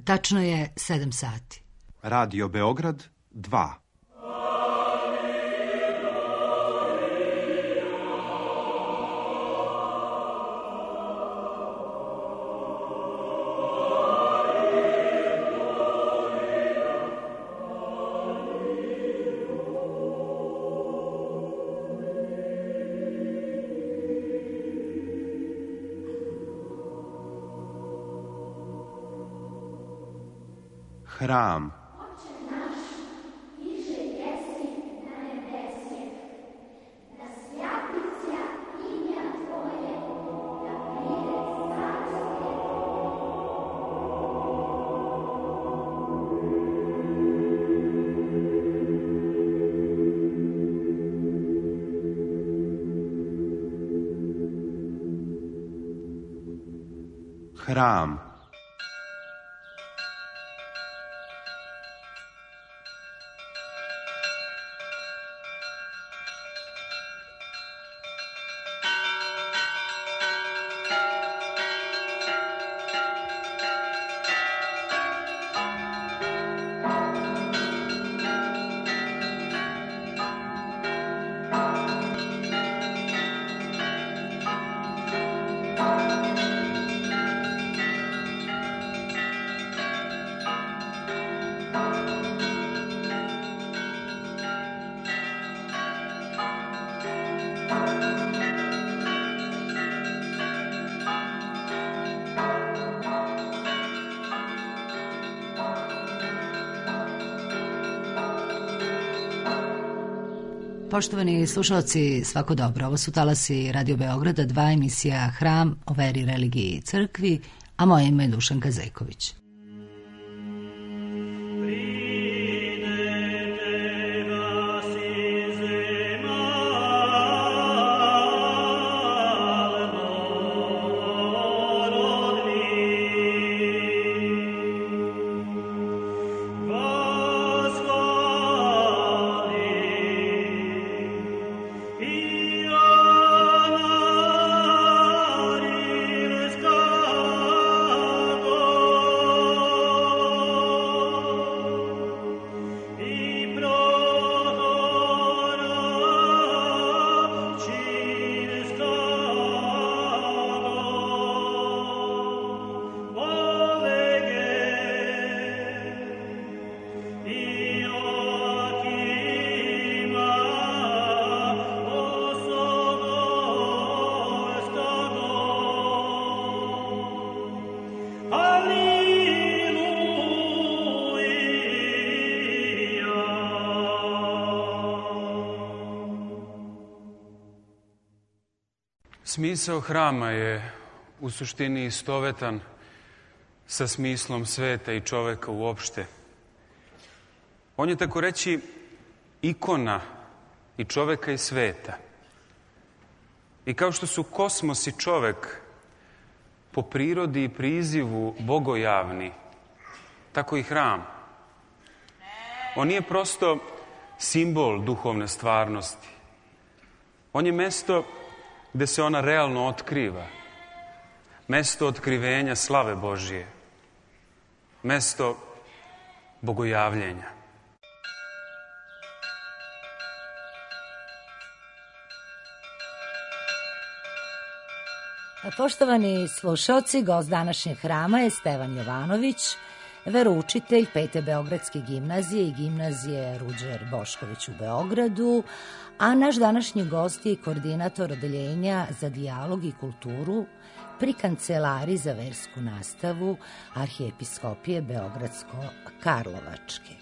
Tačno je 7 sati. Radio Beograd 2. Hram. Hram. Poštovani slušalci, svako dobro. Ovo su talasi Radio Beograda 2, emisija Hram o veri, religiji i crkvi, a moje ime je Dušanka Zejković. Smisao hrama je u suštini istovetan sa smislom sveta i čoveka uopšte. On je, tako reći, ikona i čoveka i sveta. I kao što su kosmos i čovek po prirodi i prizivu bogojavni, tako i hram. On nije prosto simbol duhovne stvarnosti. On je mesto gde se ona realno otkriva. Mesto otkrivenja slave Božije. Mesto bogojavljenja. Poštovani slušalci, gost današnjeg hrama je Stevan Jovanović, veroučitelj Pete Beogradske gimnazije i gimnazije Ruđer Bošković u Beogradu, a naš današnji gost je i koordinator odeljenja za dijalog i kulturu pri Kancelariji za versku nastavu Arhijepiskopije Beogradsko-Karlovačke.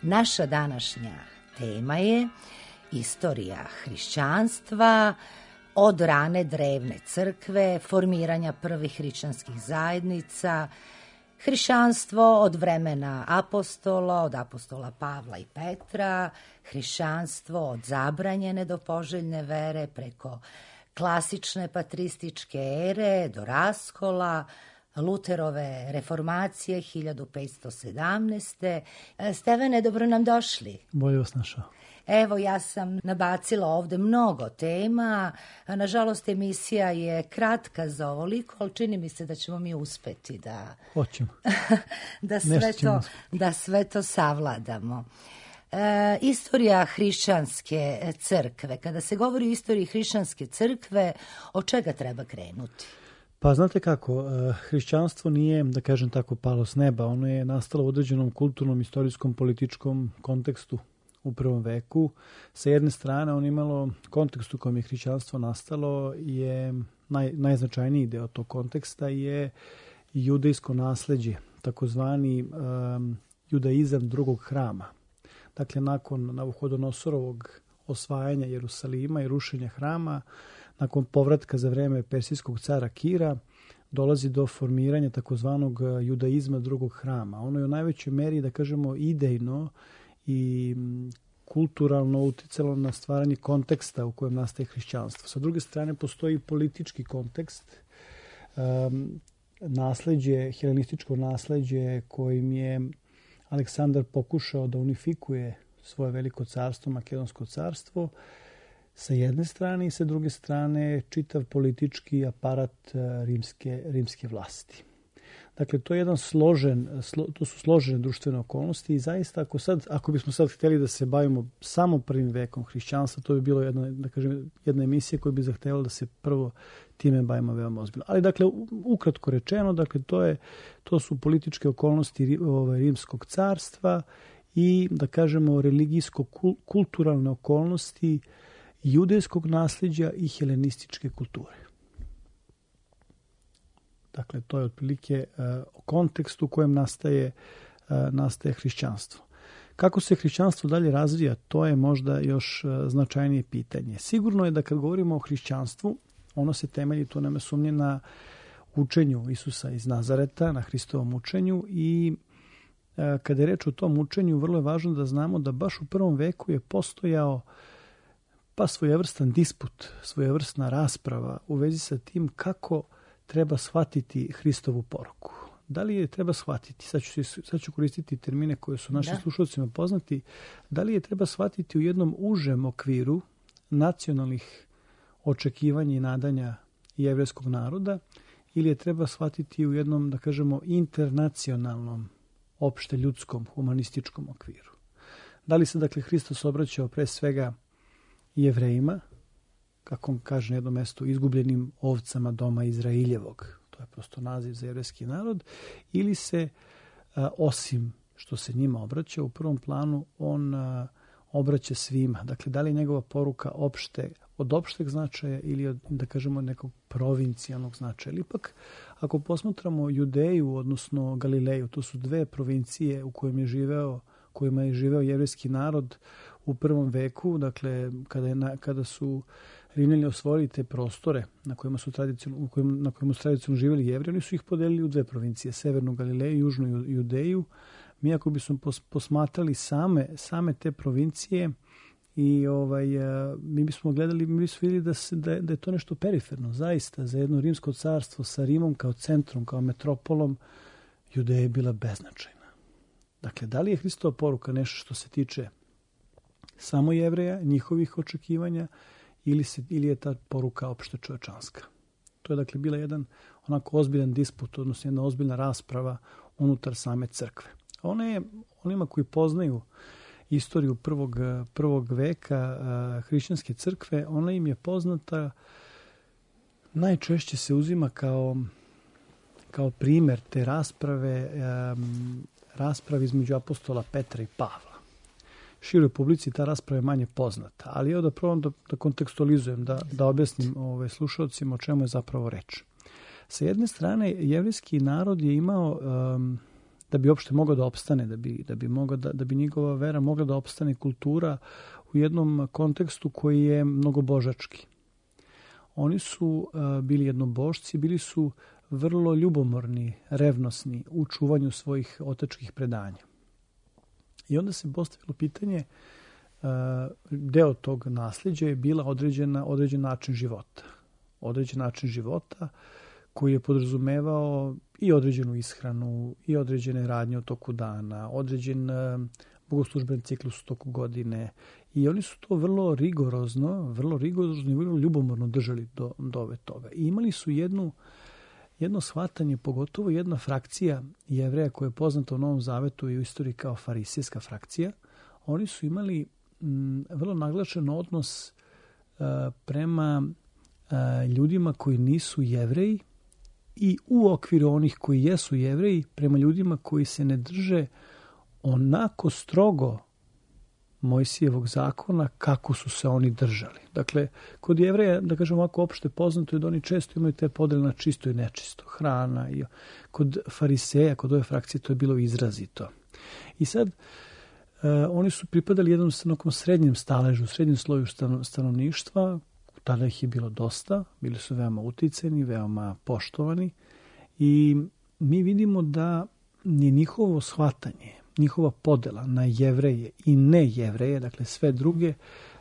Naša današnja tema je istorija hrišćanstva, od rane drevne crkve, formiranja prvih hrišćanskih zajednica, hrišćanstvo od vremena apostola, od apostola Pavla i Petra, hrišćanstvo od zabranjene do poželjne vere preko klasične patrističke ere do raskola, Luterove reformacije 1517. Stevane, dobro nam došli. Bolje vas našao. Evo, ja sam nabacila ovde mnogo tema. Nažalost, emisija je kratka za ovoliko, ali čini mi se da ćemo mi uspeti Hoćemo. da sve to savladamo. Istorija hrišćanske crkve. Kada se govori o istoriji hrišćanske crkve, od čega treba krenuti? Pa znate kako, hrišćanstvo nije, da kažem tako, palo s neba. Ono je nastalo u određenom kulturnom, istorijskom, političkom kontekstu u prvom veku. Sa jedne strane, ono imalo kontekst u kojem je hrišćanstvo nastalo, je najznačajniji deo tog konteksta je judejsko nasleđe, takozvani judaizam drugog hrama. Dakle, nakon Navuhodonosorovog osvajanja Jerusalima i rušenja hrama, nakon povratka za vreme persijskog cara Kira, dolazi do formiranja takozvanog judaizma drugog hrama. Ono je u najvećoj meri, da kažemo, idejno i kulturalno uticalo na stvaranje konteksta u kojem nastaje hrišćanstvo. Sa druge strane, postoji politički kontekst, nasleđe, helenističko nasleđe kojim je Aleksandar pokušao da unifikuje svoje veliko carstvo, Makedonsko carstvo, sa jedne strane i sa druge strane čitav politički aparat rimske vlasti. Dakle, to je jedan to su složene društvene okolnosti i zaista ako bismo sad htjeli da se bavimo samo prvim vekom hrišćanstva, to bi bilo jedna emisija koja bi zahtevala da se prvo time bavimo veoma ozbiljno. Ali dakle, ukratko rečeno, dakle, to su političke okolnosti rimskog carstva i, da kažemo, religijsko-kulturalne okolnosti judejskog nasljeđa i helenističke kulture. Dakle, to je otprilike kontekst u kojem nastaje hrišćanstvo. Kako se hrišćanstvo dalje razvija, to je možda još značajnije pitanje. Sigurno je da kad govorimo o hrišćanstvu, ono se temelji, to nema sumnje, na učenju Isusa iz Nazareta, na Hristovom učenju i kada je reč o tom učenju, vrlo je važno da znamo da baš u prvom veku je postojao svojevrstan disput, svojevrsna rasprava u vezi sa tim kako treba shvatiti Hristovu poruku. Da li je treba shvatiti, sad ću koristiti termine koje su našim slušalcima poznati, da li je treba shvatiti u jednom užem okviru nacionalnih očekivanja i nadanja jevrejskog naroda ili je treba shvatiti u jednom, da kažemo, internacionalnom, opšte ljudskom, humanističkom okviru. Da li se, dakle, Hristos obraćao pre svega Jevrejima, kako on kaže na jednom mestu, izgubljenim ovcama doma Izraeljevog, to je prosto naziv za jevrejski narod, ili se, osim što se njima obraća, u prvom planu on obraća svima. Dakle, da li je njegova poruka od opšteg značaja ili od, da kažemo, nekog provincijalnog značaja. Ili ipak, ako posmatramo Judeju, odnosno Galileju, to su dve provincije u kojima je živeo jevrejski narod u prvom veku, dakle, kada su Rimljani osvojili te prostore na kojima su tradicionalno živjeli Jevreji, oni su ih podelili u dve provincije, Severnu Galileju i Južnu Judeju. Mi ako bismo posmatrali same te provincije i mi bismo vidjeli da je to nešto periferno, zaista, za jedno rimsko carstvo sa Rimom kao centrom, kao metropolom, Judeja je bila beznačajna. Dakle, da li je Hristova poruka nešto što se tiče samo Jevreja, njihovih očekivanja, ili je ta poruka opšte čovečanska? To je, dakle, bila jedan onako ozbiljan disput, odnosno jedna ozbiljna rasprava unutar same crkve. Onima koji poznaju istoriju prvog veka hrišćanske crkve, ona im je poznata, najčešće se uzima kao primjer te rasprave između apostola Petra i Pavla. Široj publici ta rasprava je manje poznata, ali evo da probam da kontekstualizujem, da objasnim slušalcima o čemu je zapravo reč. Sa jedne strane, jevrejski narod je imao, da bi uopšte mogao da opstane, da bi njegova vera mogla da opstane, kultura u jednom kontekstu koji je mnogobožački. Oni su bili jednobožci, bili su vrlo ljubomorni, revnosni u čuvanju svojih otačkih predanja. I onda se postavilo pitanje, deo tog nasljeđa je bila određen način života. Određen način života koji je podrazumevao i određenu ishranu, i određene radnje u toku dana, određen bogoslužben ciklus u toku godine. I oni su to vrlo rigorozno i vrlo ljubomorno držali do ove toga. I imali su jedno shvatanje, pogotovo jedna frakcija Jevreja koja je poznata u Novom Zavetu i u istoriji kao farisejska frakcija. Oni su imali vrlo naglašen odnos prema ljudima koji nisu Jevreji i u okviru onih koji jesu Jevreji prema ljudima koji se ne drže onako strogo Mojsijevog zakona kako su se oni držali. Dakle, kod Jevreja, da kažem ovako opšte poznato je da oni često imaju te podele na čisto i nečisto, hrana. I kod fariseja, kod ove frakcije, to je bilo izrazito. I sad, oni su pripadali jednom srednjem staležu, srednjem sloju stanovništva. Tada ih je bilo dosta, bili su veoma uticeni, veoma poštovani i mi vidimo da je njihovo shvatanje, njihova podela na Jevreje i ne Jevreje, dakle sve druge,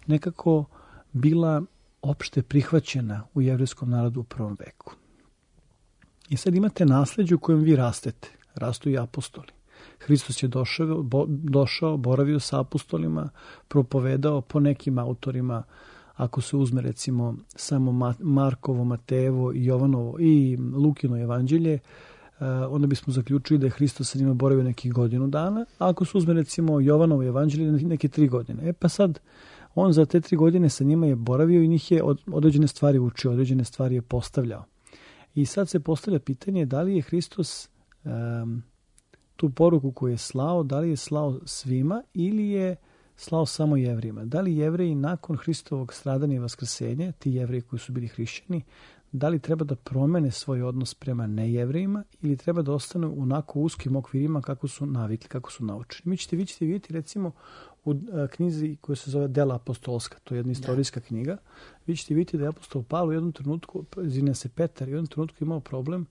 nekako bila opšte prihvaćena u jevrejskom narodu u prvom veku. I sad imate nasleđe u kojem vi rastete, rastu i apostoli. Hristos je došao, boravio sa apostolima, propovedao po nekim autorima. Ako se uzme recimo samo Markovo, Matejevo i Jovanovo i Lukino evanđelje, onda bismo zaključili da je Hristos sa njima boravio nekih godinu dana, a ako se uzme recimo Jovanovo evanđelje neke 3 godine. Pa sad, on za te 3 godine sa njima je boravio i njih je određene stvari učio, određene stvari je postavljao. I sad se postavlja pitanje da li je Hristos tu poruku koju je slao, da li je slao svima ili je slao samo Jevrejima. Da li Jevreji nakon Hristovog stradanja i vaskrsenja, ti Jevreji koji su bili hrišćani, da li treba da promene svoj odnos prema nejevrejima ili treba da ostanu onako uskim okvirima kako su navikli, kako su naučeni. Vi ćete vidjeti recimo u knjizi koja se zove Dela apostolska, to je jedna istorijska knjiga, vi ćete vidjeti da je apostol Pavle u jednom trenutku, Petar, u jednom trenutku imao problem,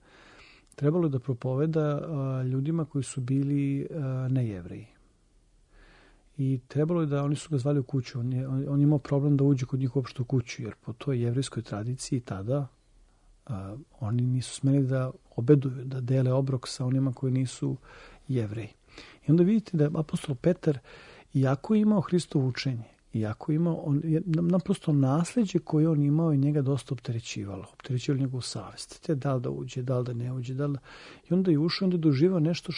trebalo je da propoveda ljudima koji su bili nejevreji. I trebalo je da, oni su ga zvali u kuću, on imao problem da uđe kod njih uopšte u kuću, jer po toj jevrejskoj tradiciji tada oni nisu smeli da obeduju, da dele obrok sa onima koji nisu Jevreji. I onda vidite da apostol Petar, iako je imao Hristovo učenje, iako je imao, naprosto nasleđe koje on imao i njega dosta opterećivalo njegovu savest. Te da li da uđe, da li da ne uđe, i onda je ušao, onda je doživao nešto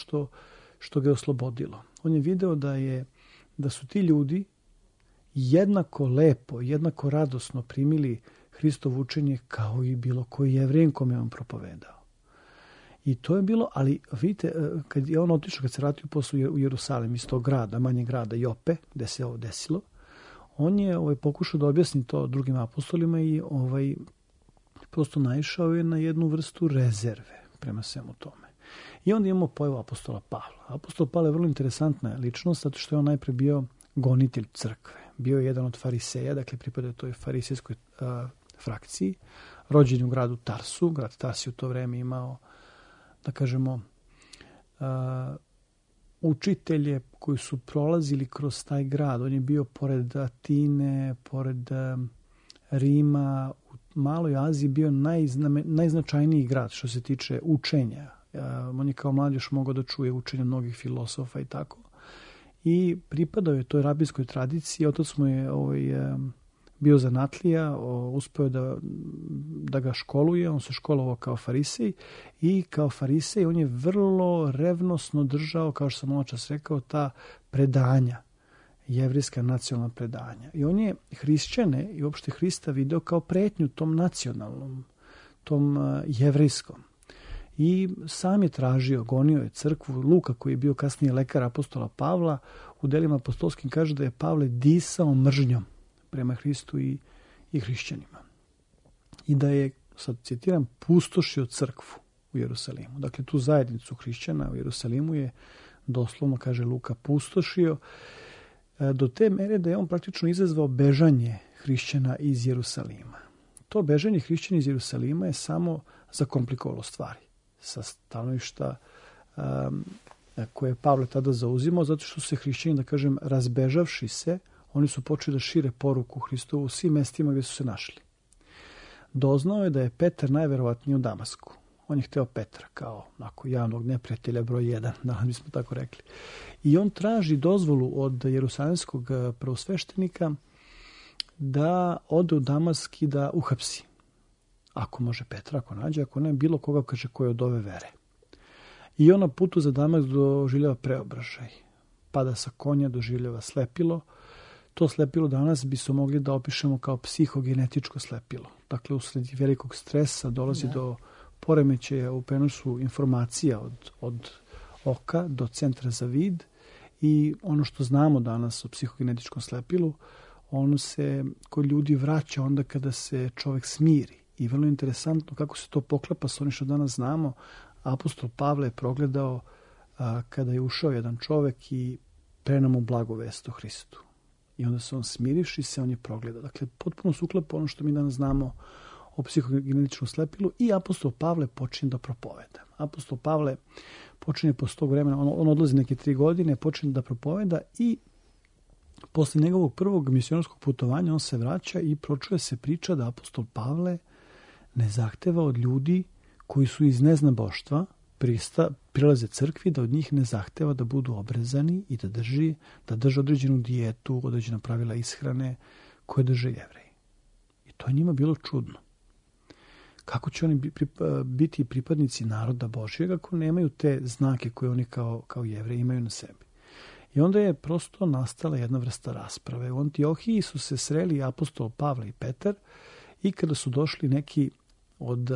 što ga je oslobodilo. On je video da su ti ljudi jednako lepo, jednako radosno primili Hristovo učenje kao i bilo koji Jevrejan kome je on propovedao. I to je bilo, ali vidite, kad je on otišao, kad se vratio posle u Jerusalim iz tog grada, manjeg grada Jope, gde se ovo desilo, on je pokušao da objasni to drugim apostolima i prosto naišao je na jednu vrstu rezerve prema svemu tome. I onda imamo pojavu apostola Pavla. Apostol Pavle je vrlo interesantna ličnost, zato što je on najpre bio gonitelj crkve. Bio je jedan od fariseja, dakle pripada toj farisejskoj frakciji, rođen u gradu Tarsu. Grad Tars je u to vreme imao, da kažemo, učitelje koji su prolazili kroz taj grad. On je bio pored Atine, pored Rima, u Maloj Aziji bio najznačajniji grad što se tiče učenja. On je kao mlad još mogao da čuje učenje mnogih filosofa i tako. I pripadao je toj rabinskoj tradiciji. Otac mu je bio zanatlija, uspeo je da ga školuje. On se školovao kao farisej i kao farisej on je vrlo revnosno držao, kao što sam očas rekao, ta predanja, jevrejska nacionalna predanja. I on je hrišćane i uopšte Hrista video kao pretnju tom nacionalnom, tom jevrejskom. I sam je tražio, gonio je crkvu. Luka, koji je bio kasnije lekar apostola Pavla, u delima apostolskim kaže da je Pavle disao mržnjom prema Hristu i hrišćanima. I da je, sad citiram, pustošio crkvu u Jerusalimu. Dakle, tu zajednicu hrišćana u Jerusalimu je doslovno, kaže Luka, pustošio do te mere da je on praktično izazvao bežanje hrišćana iz Jerusalima. To bežanje hrišćana iz Jerusalima je samo zakomplikovalo stvari sa stanovišta koje je Pavle tada zauzimao, zato što su se hrišćani, da kažem, razbežavši se, oni su počeli da šire poruku Hristovu u svim mestima gdje su se našli. Doznao je da je Petar najverovatnije u Damasku. On je hteo Petra kao javnog neprijatelja broj 1, da bismo tako rekli. I on traži dozvolu od jerusalemskog prvosveštenika da ode u Damask i da uhapsi. Ako može Petra, ako nađe, ako ne, bilo koga kaže ko je od ove vere. I on na putu za Damask doživljava preobražaj. Pada sa konja, doživljava slepilo. To slepilo danas bi se mogli da opišemo kao psihogenetičko slepilo. Dakle, usled velikog stresa dolazi do poremećaja u prenosu informacija od oka do centra za vid i ono što znamo danas o psihogenetičkom slepilu, ono se kod ljudi vraća onda kada se čovek smiri. I vrlo interesantno kako se to poklapa sa onim što danas znamo. Apostol Pavle je progledao kada je ušao jedan čovek i preneo mu blagu vest o Hristu. I onda se on smirivši se, on je progledao. Dakle, potpuno se uklapa ono što mi danas znamo o psihogenetičkom slepilu i apostol Pavle počinje da propoveda. Apostol Pavle počinje posle tog vremena, on odlazi neke 3 godine, počinje da propoveda i posle njegovog prvog misionarskog putovanja on se vraća i pročuje se priča da apostol Pavle ne zahteva od ljudi koji su iz neznaboštva prilaze crkvi, da od njih ne zahteva da budu obrezani i da drže određenu dijetu, određena pravila ishrane koje drže Jevreji. I to je njima bilo čudno. Kako će oni biti pripadnici naroda Božjeg ako nemaju te znake koje oni kao Jevreji imaju na sebi? I onda je prosto nastala jedna vrsta rasprave. U Antiohiji su se sreli apostol Pavle i Petar i kada su došli neki od,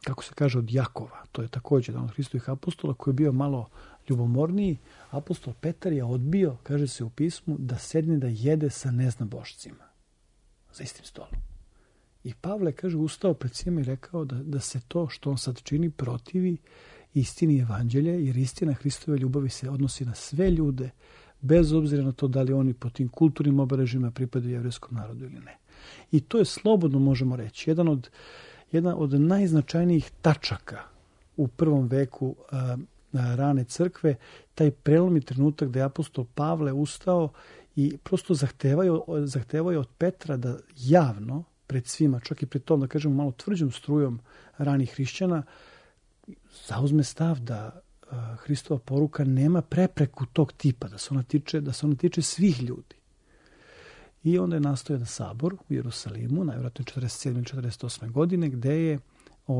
kako se kaže, od Jakova, to je također jedan od Hristovih apostola koji je bio malo ljubomorniji, apostol Petar je odbio, kaže se u pismu, da sedne da jede sa neznabošcima za istim stolom. I Pavle, kaže, ustao pred svima i rekao da se to što on sad čini protivi istini evanđelja, jer istina Hristove ljubavi se odnosi na sve ljude, bez obzira na to da li oni po tim kulturnim obeležjima pripadaju jevrejskom narodu ili ne. I to je, slobodno možemo reći, jedna od najznačajnijih tačaka u prvom veku rane crkve, taj prelomni trenutak da je apostol Pavle ustao i prosto zahtevao je od Petra da javno, pred svima, čak i pred tom, da kažemo, malo tvrđom strujom ranih hrišćana, zauzme stav da Hristova poruka nema prepreku tog tipa, da se ona tiče svih ljudi. I onda je nastao jedan sabor u Jerusalimu, najvjerojatno 47. ili 48. godine, gde je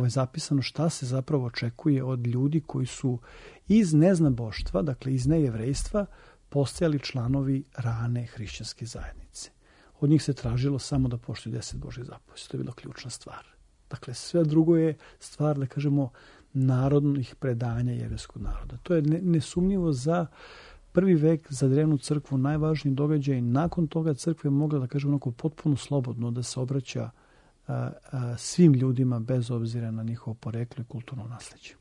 zapisano šta se zapravo očekuje od ljudi koji su iz neznaboštva, dakle iz nejevrejstva, postajali članovi rane hrišćanske zajednice. Od njih se tražilo samo da poštuju 10 Božjih zapovesti. To je bila ključna stvar. Dakle, sve drugo je stvar, da kažemo, narodnih predanja jevrejskog naroda. To je nesumnjivo za prvi vek, za drevnu crkvu, najvažniji događaj. Nakon toga crkva je mogla, da kažemo, onako potpuno slobodno da se obraća svim ljudima bez obzira na njihovo poreklo i kulturno nasleđe.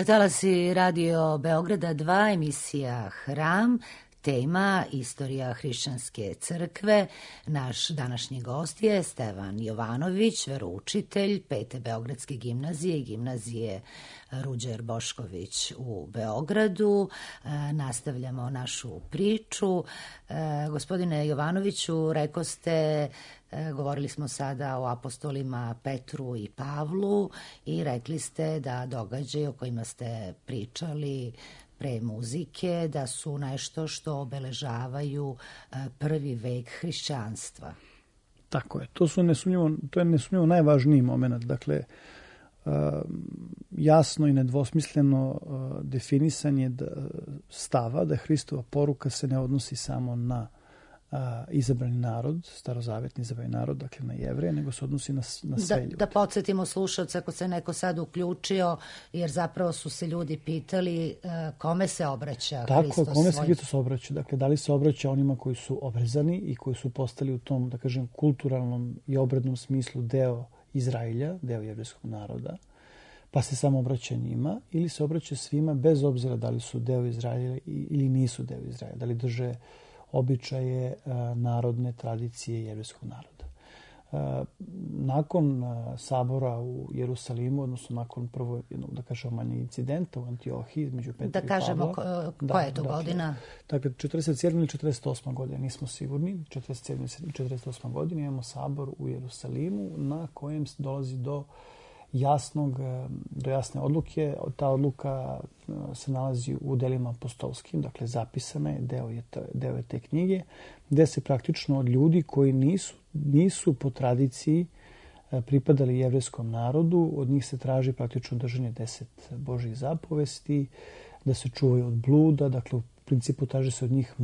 Talasi Radio Beograda 2, emisija Hram, tema Istorija hrišćanske crkve. Naš današnji gost je Stevan Jovanović, veroučitelj Pete Beogradske gimnazije i gimnazije Ruđer Bošković u Beogradu. Nastavljamo našu priču. Gospodine Jovanoviću, rekoste, govorili smo sada o apostolima Petru i Pavlu i rekli ste da događaji o kojima ste pričali pre muzike, da su nešto što obeležavaju prvi vek hrišćanstva. Tako je. To je nesumnjivo najvažniji moment. Dakle, jasno i nedvosmisleno definisanje stava da Hristova poruka se ne odnosi samo na izabrani narod, starozavetni izabrani narod, dakle na Jevreje, nego se odnosi na sve ljude. Da podsjetimo slušalce, ako se neko sad uključio, jer zapravo su se ljudi pitali kome se obraća Hristos. Tako, kome se Hristos obraća? Dakle, da li se obraća onima koji su obrezani i koji su postali u tom, da kažem, kulturalnom i obrednom smislu deo Izraelja, deo jevrejskog naroda, pa se samo obraća njima, ili se obraća svima bez obzira da li su deo Izraelja ili nisu deo Izraelja, da li drže običaje narodne tradicije jevrejskog naroda. Nakon sabora u Jerusalimu, odnosno nakon prvo jednog, da kažemo, manjeg incidenta u Antiohiji između Petra i Pavla. Da kažemo koja je to godina? Dakle, 47. ili 48. godina, nismo sigurni. 47. ili 48. godina imamo sabor u Jerusalimu na kojem dolazi do jasne odluke. Ta odluka se nalazi u delima apostolskim, dakle zapisana je, deo je te knjige, gde se praktično od ljudi koji nisu po tradiciji pripadali jevrejskom narodu, od njih se traži praktično držanje 10 Božjih zapovesti, da se čuvaju od bluda, dakle u principu traži se od njih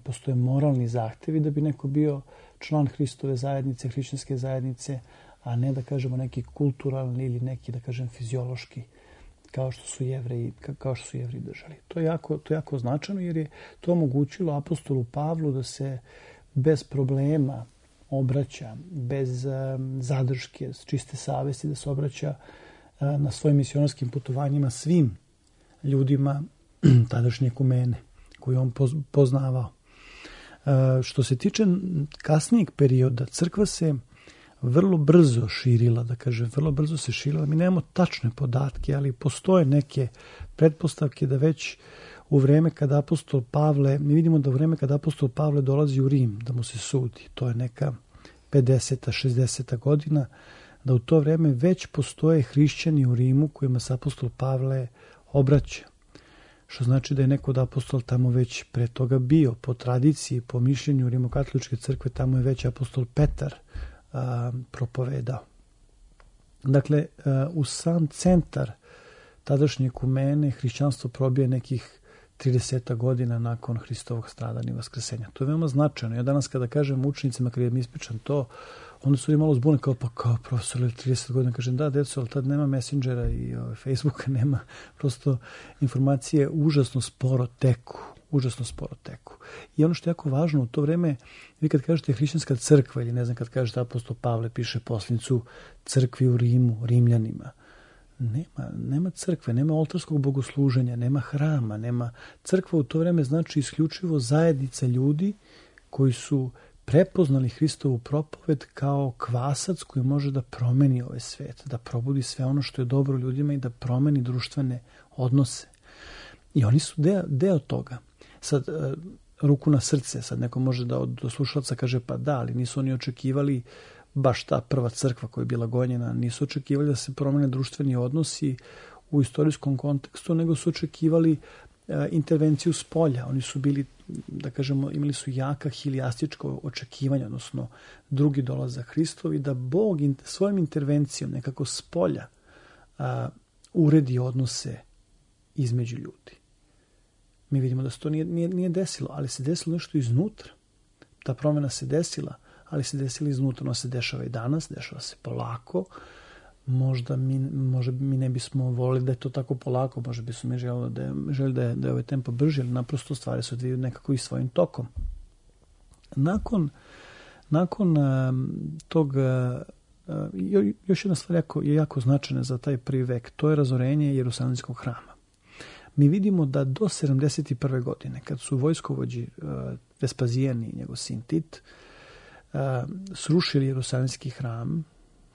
postoje moralni zahtevi da bi neko bio član Hristove zajednice, hrišćanske zajednice, a ne da kažemo neki kulturalni ili neki, da kažem, fiziološki, kao što su Jevreji držali. To je jako značajno, jer je to omogućilo apostolu Pavlu da se bez problema obraća, bez zadrške, čiste savesti, da se obraća na svojim misionarskim putovanjima svim ljudima tadašnje ekumene koju on poznavao. Što se tiče kasnijeg perioda, crkva se vrlo brzo širila, da kažem, vrlo brzo se širila. Mi nemamo tačne podatke, ali postoje neke pretpostavke da već u vreme kada apostol Pavle, mi vidimo da u vreme kada apostol Pavle dolazi u Rim da mu se sudi, to je neka 50. 60. godina, da u to vreme već postoje hrišćani u Rimu kojima se apostol Pavle obraća. Što znači da je neko od apostol tamo već pre toga bio. Po tradiciji, po mišljenju Rimokatoličke crkve, tamo je već apostol Petar propovedao. Dakle, u sam centar tadašnje ekumene hrišćanstvo probije nekih 30 godina nakon Hristovog stradanja i vaskrsenja. To je veoma značajno. Ja danas kada kažem učenicima, kada im ispričam to, onda su li malo zbune kao profesor ili 30 godina. Kažem da, deco, ali tad nema Messengera i Facebooka, nema. Prosto informacije užasno sporo teku. I ono što je jako važno u to vreme, vi kad kažete hrišćanska crkva ili ne znam, kad kažete apostol Pavle piše poslanicu crkvi u Rimu, Rimljanima, nema crkve, nema oltarskog bogosluženja, nema hrama, crkva u to vreme znači isključivo zajednica ljudi koji su prepoznali Hristovu propoved kao kvasac koji može da promeni ovaj svet, da probudi sve ono što je dobro ljudima i da promeni društvene odnose. I oni su deo toga. Sad, ruku na srce, sad neko može da od slušalca kaže pa da, ali nisu oni očekivali baš ta prva crkva koja je bila gonjena, nisu očekivali da se promene društveni odnosi u istorijskom kontekstu, nego su očekivali intervenciju s polja. Oni su bili, da kažemo, imali su jaka hilijastičko očekivanja, odnosno drugi dolazak Hristov i da Bog svojom intervencijom nekako s polja uredi odnose između ljudi. Mi vidimo da se to nije desilo, ali se desilo nešto iznutra. Ta promjena se desila, ali se desila iznutra. Ona se dešava i danas, dešava se polako. Možda mi ne bismo volili da je to tako polako, možda bismo mi želi da je ovaj tempo brži, ali naprosto stvari se odvijaju nekako i svojim tokom. Nakon tog, još jedna stvar je jako značajna za taj prvi vek, to je razorenje Jerusalimskog hrama. mi vidimo da do 71. godine, kad su vojskovođi Vespazijan i njegov sin Tit srušili Jerusalimski hram,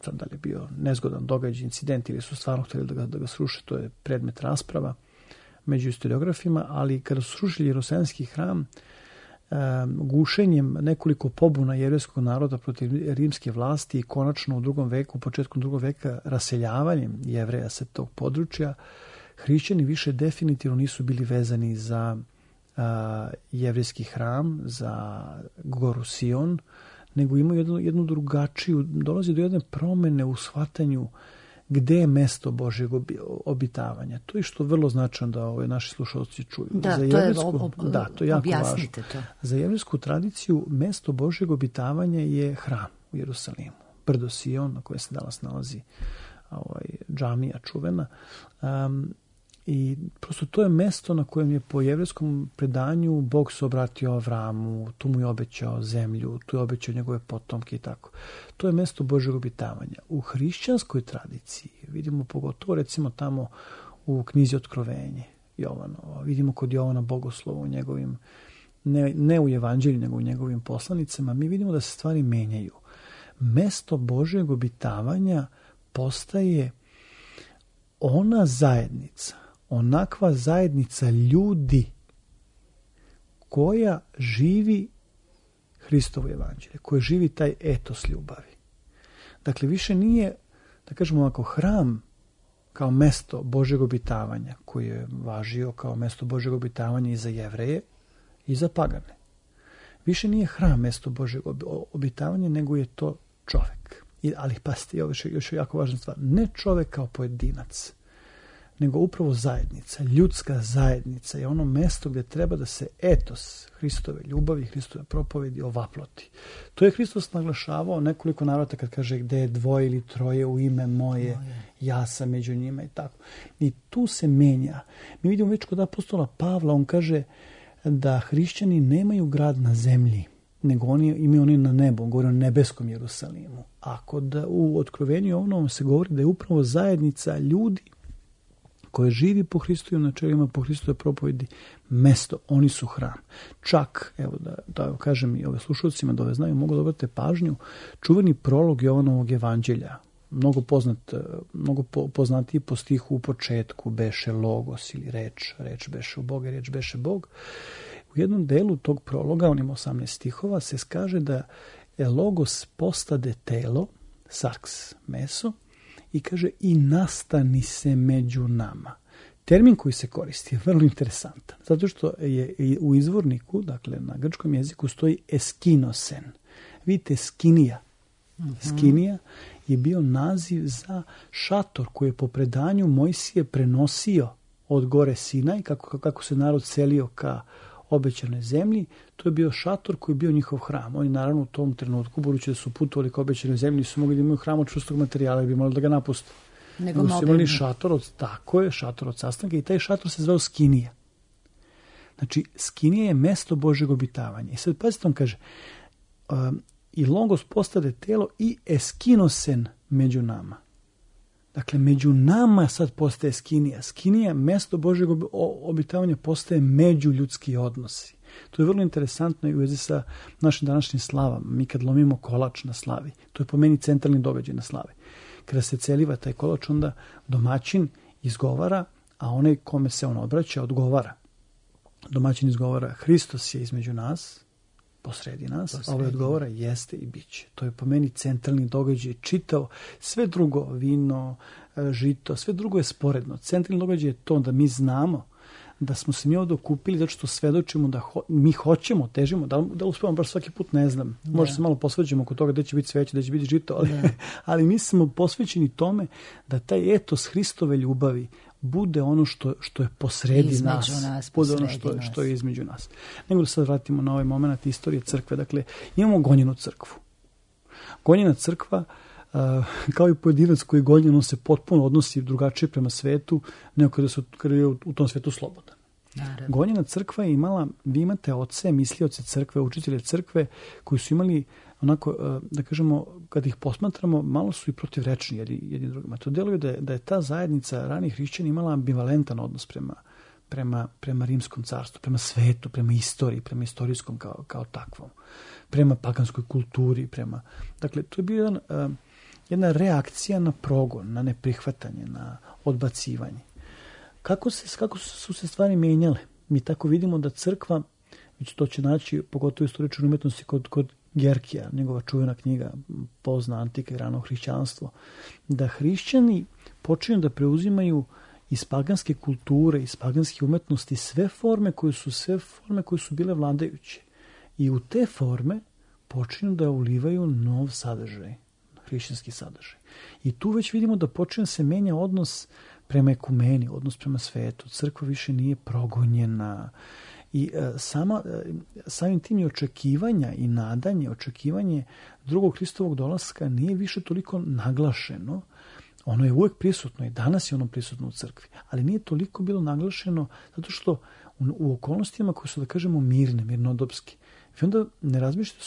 sad da li je bio nezgodan događaj, incident ili su stvarno htjeli da ga sruše, to je predmet rasprava među historiografima, ali kada su srušili Jerusalimski hram, gušenjem nekoliko pobuna jevrejskog naroda protiv rimske vlasti i konačno u početkom drugog veka raseljavanjem Jevreja sa tog područja, hrišćani više definitivno nisu bili vezani za jevrejski hram, za goru Sion, nego imaju jednu drugačiju, dolazi do jedne promene u shvatanju gde je mesto Božjeg obitavanja. To je što vrlo značajno da naši slušalci čuju. Da, to je jako važno. To. Za jevrejsku tradiciju mesto Božjeg obitavanja je hram u Jerusalimu. Brdo Sion, na kojem se danas nalazi džamija čuvena. I prosto to je mesto na kojem je po jevrejskom predanju Bog se obratio Avramu, tu mu je obećao zemlju, tu je obećao njegove potomke i tako. To je mesto Božjeg obitavanja. U hrišćanskoj tradiciji vidimo pogotovo recimo tamo u knjizi Otkrovenje Jovanovo, vidimo kod Jovana Bogoslova u njegovim, ne u evanđelju, nego u njegovim poslanicama, mi vidimo da se stvari menjaju. Mesto Božjeg obitavanja postaje ona zajednica, onakva zajednica ljudi koja živi Hristovo evanđelje, koja živi taj etos ljubavi. Dakle, više nije, da kažemo ovako, hram kao mesto Božjeg obitavanja, koji je važio kao mesto Božjeg obitavanja i za Jevreje i za pagane. Više nije hram mesto Božjeg obitavanja, nego je to čovek. Ali pazite, još je jako važna stvar, ne čovek kao pojedinac, nego upravo zajednica, ljudska zajednica je ono mesto gdje treba da se etos Hristove ljubavi, Hristove propovedi ovaploti. To je Hristos naglašavao nekoliko navrata kad kaže gdje je dvoje ili troje u ime moje, ja sam među njima i tako. I tu se menja. Mi vidimo već kod apostola Pavla, on kaže da hrišćani nemaju grad na zemlji, nego oni imaju na nebu, govori o nebeskom Jerusalimu. A u Otkrovenju Jovanovom se govori da je upravo zajednica ljudi koje živi po Hristovim načelima, po Hristovoj propovedi, mesto, oni su hram. Čak, evo da kažem i ove slušalcima da ove znaju, mogu da obrate pažnju, čuveni prolog Jovanovog evanđelja, mnogo poznatiji po stihu u početku, beše logos ili reč beše u Boga, reč beše Bog. U jednom delu tog prologa, on ima 18 stihova, se kaže da je logos postade telo, sarks meso, i kaže i nastani se među nama. Termin koji se koristi je vrlo interesantan, zato što je u izvorniku, dakle na grčkom jeziku stoji eskinosen. Vidite, skinija. Skinija je bio naziv za šator koji je po predanju Mojsije prenosio od gore Sinaj, kako se narod selio ka obećanoj zemlji, to je bio šator koji je bio njihov hram. Oni naravno u tom trenutku, budući da su putovali ka obećanoj zemlji, nisu mogli da imaju hram od čvrstog materijala, jer bi morali da ga napuste. Nego su imali šator od sastanka i taj šator se zvao Skinija. Znači, Skinija je mesto Božjeg obitavanja. I sad pazite, on kaže, i logos postade telo i eskinosen među nama. Dakle, među nama sad postaje Skinija. Skinija, mesto Božjeg obitavanja, postaje međuljudski odnosi. To je vrlo interesantno i u vezi sa našim današnjim slavama. Mi kad lomimo kolač na slavi, to je po meni centralni događaj na slavi. Kada se celiva taj kolač, onda domaćin izgovara, a onaj kome se on obraća odgovara. Domaćin izgovara, Hristos je između nas, posredi nas, a ovaj odgovara, jeste i bit će. To je po meni centralni događaj, čitao, sve drugo, vino, žito, sve drugo je sporedno. Centralni događaj je to da mi znamo da smo se mi ovdje okupili zato što svedočimo da mi hoćemo, težimo, da uspevamo baš svaki put, ne znam. Možda se malo posveđujemo oko toga gdje će biti sveće, gdje će biti žito, ali mi smo posvećeni tome da taj etos Hristove ljubavi bude ono što je posredi nas, bude ono što je između nas. Nego da sad vratimo na ovaj moment istorije crkve. Dakle, imamo gonjenu crkvu. Gonjena crkva, kao i pojedinac koji je gonjen, on se potpuno odnosi drugačije prema svetu, nego kada je u tom svetu slobodan. Naravno. Gonjena crkva je imala, vi imate oce, mislioce crkve, učitelje crkve, koji su imali onako, da kažemo, kad ih posmatramo, malo su i protivrečni jedni drugima. To deluje da je ta zajednica ranih hrišćana imala ambivalentan odnos prema rimskom carstvu, prema svetu, prema istoriji, prema istorijskom kao takvom, prema paganskoj kulturi, dakle, to je bio jedna reakcija na progon, na neprihvatanje, na odbacivanje. Kako su se stvari mijenjale? Mi tako vidimo da crkva, već to će naći pogotovo istoričnoj umetnosti kod Gerkija, njegova čuvena knjiga Pozna antika i rano hrišćanstvo, da hrišćani počinju da preuzimaju iz paganske kulture, iz paganske umetnosti sve forme koje su bile vladajuće. I u te forme počinju da ulivaju nov sadržaj, hrišćanski sadržaj. I tu već vidimo da počinje se menja odnos prema ekumeni, odnos prema svetu. Crkva više nije progonjena. I samim tim i očekivanja i nadanje, očekivanje drugog Hristovog dolaska nije više toliko naglašeno. Ono je uvijek prisutno i danas je ono prisutno u crkvi, ali nije toliko bilo naglašeno zato što u okolnostima koje su, da kažemo, mirne, mirnodopske. I onda ne razmišljate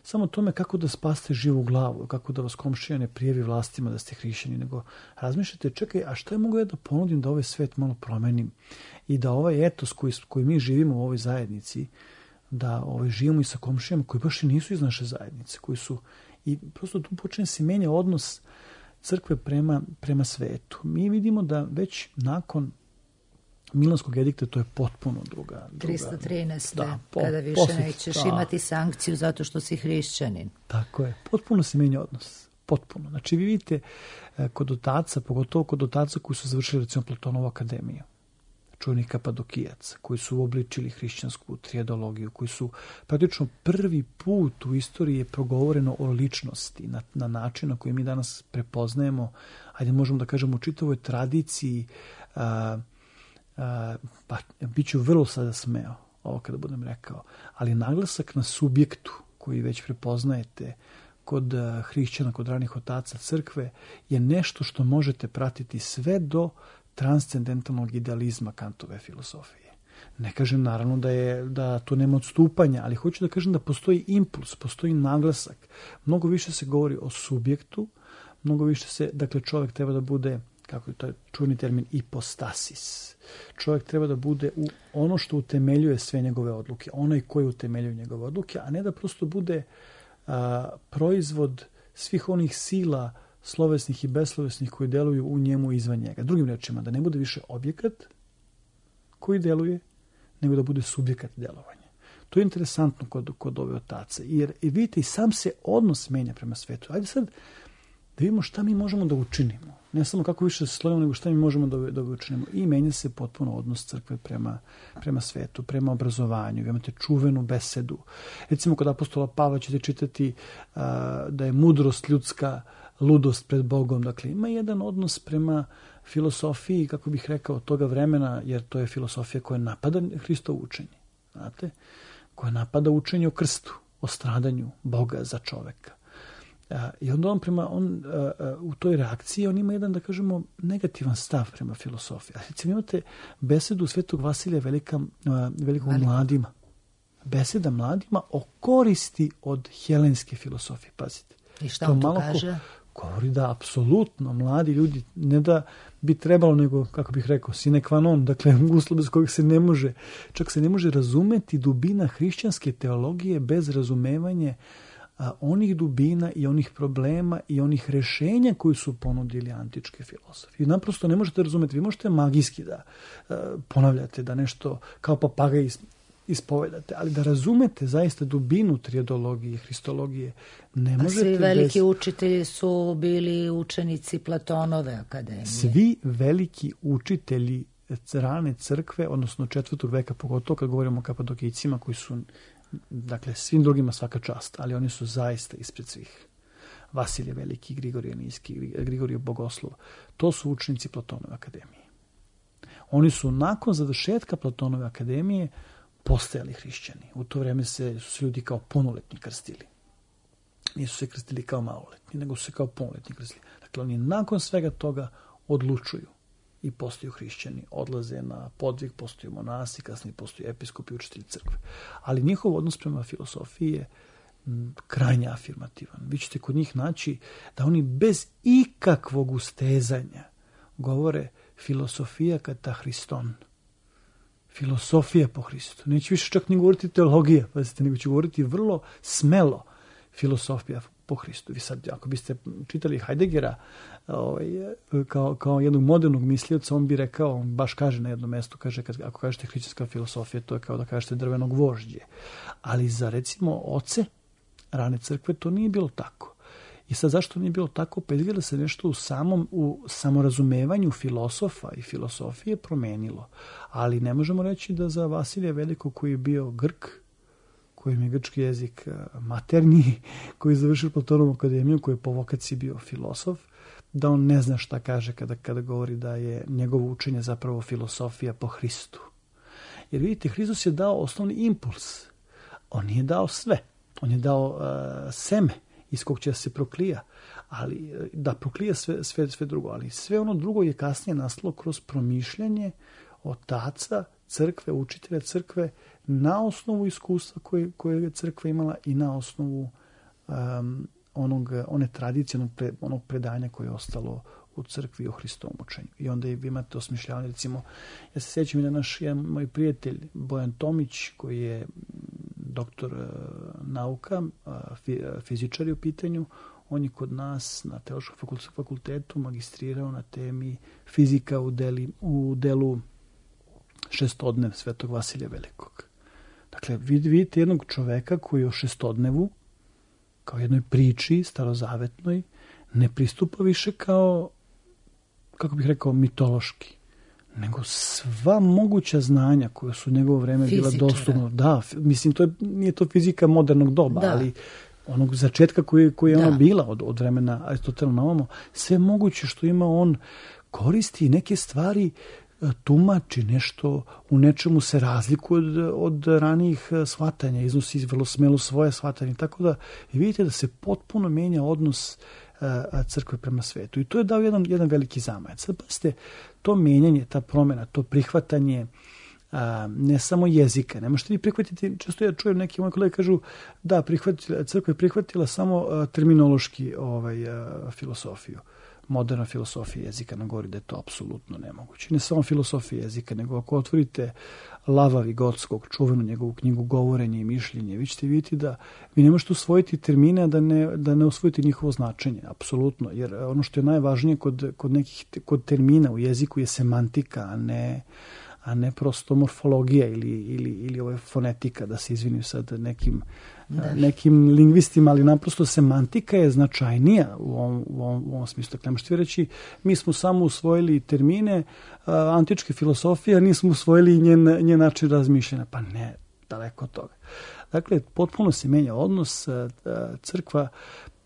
samo o tome kako da spaste živu glavu, kako da vas komšija ne prijavi vlastima da ste hrišćani, nego razmišljate, čekaj, a šta je mogu ja da ponudim da ovaj svet malo promenim i da ovaj etos koji mi živimo u ovoj zajednici, da živimo i sa komšijama koji baš i nisu iz naše zajednice, koji su, i prosto tu počne se menja odnos crkve prema svetu. Mi vidimo da već nakon Milanskog edikta to je potpuno druga 313. Kada više nećeš imati sankciju zato što si hrišćanin. Tako je. Potpuno se menja odnos. Potpuno. Znači vi vidite kod otaca, pogotovo kod otaca koji su završili recimo Platonovu akademiju, čuveni Kapadokijaca, koji su obličili hrišćansku trijedologiju, koji su praktično prvi put u istoriji je progovoreno o ličnosti na način na koji mi danas prepoznajemo, ajde možemo da kažemo u čitavoj tradiciji, pa bit ću vrlo sada smeo ovo kada budem rekao, ali naglasak na subjektu koji već prepoznajete kod hrišćana, kod ranih otaca crkve je nešto što možete pratiti sve do transcendentalnog idealizma Kantove filosofije. Ne kažem naravno da tu nema odstupanja, ali hoću da kažem da postoji impuls, postoji naglasak. Mnogo više se govori o subjektu, mnogo više dakle čovjek treba da bude, kako je to čuveni termin, ipostasis. Čovjek treba da bude ono što utemeljuje sve njegove odluke, onaj koji utemeljuje njegove odluke, a ne da prosto bude proizvod svih onih sila slovesnih i beslovesnih koji deluju u njemu i izvan njega. Drugim rečima, da ne bude više objekat koji deluje, nego da bude subjekat delovanja. To je interesantno kod ove otaca, jer vidite i sam se odnos menja prema svetu. Ajde sad da vidimo šta mi možemo da učinimo. Ne samo kako više se slovimo, nego šta mi možemo da učinimo. I menja se potpuno odnos crkve prema svetu, prema obrazovanju. Vi imate čuvenu besedu. Recimo, kod apostola Pavla ćete čitati da je mudrost ljudska ludost pred Bogom. Dakle, ima jedan odnos prema filosofiji, kako bih rekao, toga vremena, jer to je filosofija koja napada Hristovo učenje. Znate? Koja napada učenje o krstu, o stradanju Boga za čoveka. I onda u toj reakciji on ima jedan, da kažemo, negativan stav prema filosofiji. A recimo imate besedu Svetog Vasilija Velikog mladima. Beseda mladima o koristi od helenske filosofije. Pazite. I šta on tu kaže? Govori da apsolutno mladi ljudi ne da bi trebalo, nego, kako bih rekao, sine qua non, dakle uslov bez kojeg se ne može, čak se ne može razumeti dubina hrišćanske teologije bez razumevanja onih dubina i onih problema i onih rešenja koji su ponudili antičke filozofi. Naprosto ne možete razumeti, vi možete magijski da ponavljate, da nešto kao papagaj ispovedate, ali da razumete zaista dubinu trijedologije, hristologije, ne možete. Svi veliki učitelji su bili učenici Platonove akademije. Svi veliki učitelji rane crkve, odnosno 4. veka, pogotovo kad govorimo o Kapadokijcima koji su, dakle, svim drugima svaka čast, ali oni su zaista ispred svih. Vasilije Veliki, Grigorije Nijski, Grigorije Bogoslov, to su učenici Platonove akademije. Oni su nakon završetka Platonove akademije postajali hrišćani. U to vreme su se ljudi kao punoletni krstili. Nisu se krstili kao maloletni, nego su se kao punoletni krstili. Dakle, oni nakon svega toga odlučuju i postaju hrišćani, odlaze na podvig, postaju monasi, kasnije postaju episkopi, učitelji crkve. Ali njihov odnos prema filosofiji je krajnje afirmativan. Vi ćete kod njih naći da oni bez ikakvog ustezanja govore filosofija kata Hriston. filosofija po Hristu. Neću više čak ni govoriti teologija, nego ću govoriti vrlo smelo filosofija po Hristu. Vi sad, ako biste čitali Heideggera kao jednog modernog mislioca, on bi rekao, on baš kaže na jednom mestu, kaže, ako kažete hrišćanska filosofija, to je kao da kažete drveno gvožđe. Ali za, recimo, oce rane crkve to nije bilo tako. I sad zašto nije bilo tako? Pa izgleda se nešto u samorazumevanju filosofa i filosofije promenilo. Ali ne možemo reći da za Vasilija Velikog, koji je bio Grk, kojim je grčki jezik maternji, koji je završio Platonovu akademiju, koji je po vokaciji bio filosof, da on ne zna šta kaže kada govori da je njegovo učenje zapravo filosofija po Hristu. Jer vidite, Hristos je dao osnovni impuls. On nije dao sve. On je dao seme iz kog će se proklija, ali da proklija sve drugo, ali sve ono drugo je kasnije nastalo kroz promišljanje otaca crkve, učitelja crkve, na osnovu iskustva koje je crkva imala i na osnovu one tradicije, onog predanja koje je ostalo u crkvi o Hristovom učenju. I onda vi imate osmišljavanje, recimo, ja se sjećam da jedan moj prijatelj Bojan Tomić, koji je doktor nauka, fizičar je u pitanju, on je kod nas na Teološkom fakultetu magistrirao na temi fizika u delu šestodnev Svetog Vasilija Velikog. Dakle, vidite jednog čoveka koji o šestodnevu, kao jednoj priči starozavetnoj, ne pristupa više kao, kako bih rekao, mitološki, nego sva moguća znanja koja su u njegovo vreme bila dostupna. Da, mislim, nije to fizika modernog doba, ali onog začetka koji je ona bila od vremena Aristotela na ovamo, sve moguće što ima on koristi neke stvari, tumači nešto, u nečemu se razlikuje od ranijih shvatanja, iznosi vrlo smelo svoje shvatanje, tako da vidite da se potpuno menja odnos crkve prema svetu. I to je dao jedan veliki zamajac. Sad pazite, to menjanje, ta promjena, to prihvatanje ne samo jezika. Ne možete vi prihvatiti, često ja čujem neki moji kolege kažu da crkva je prihvatila samo terminološki filosofiju. Moderna filosofija jezika nam govori da je to apsolutno nemoguće. Ne samo filosofija jezika, nego ako otvorite Lava Vigotskog, čuvenu njegovu knjigu Govorenje i mišljenje, vi ćete vidjeti da vi ne možete usvojiti termine, da ne usvojite njihovo značenje, apsolutno. Jer ono što je najvažnije kod termina u jeziku je semantika, a ne prosto morfologija ili fonetika, da se izvinim sad nekim lingvistima, ali naprosto semantika je značajnija u ovom smislu. Dakle, možete reći, mi smo samo usvojili termine antičke filosofije, a nismo usvojili njen način razmišljanja. Pa ne, daleko od toga. Dakle, potpuno se menja odnos,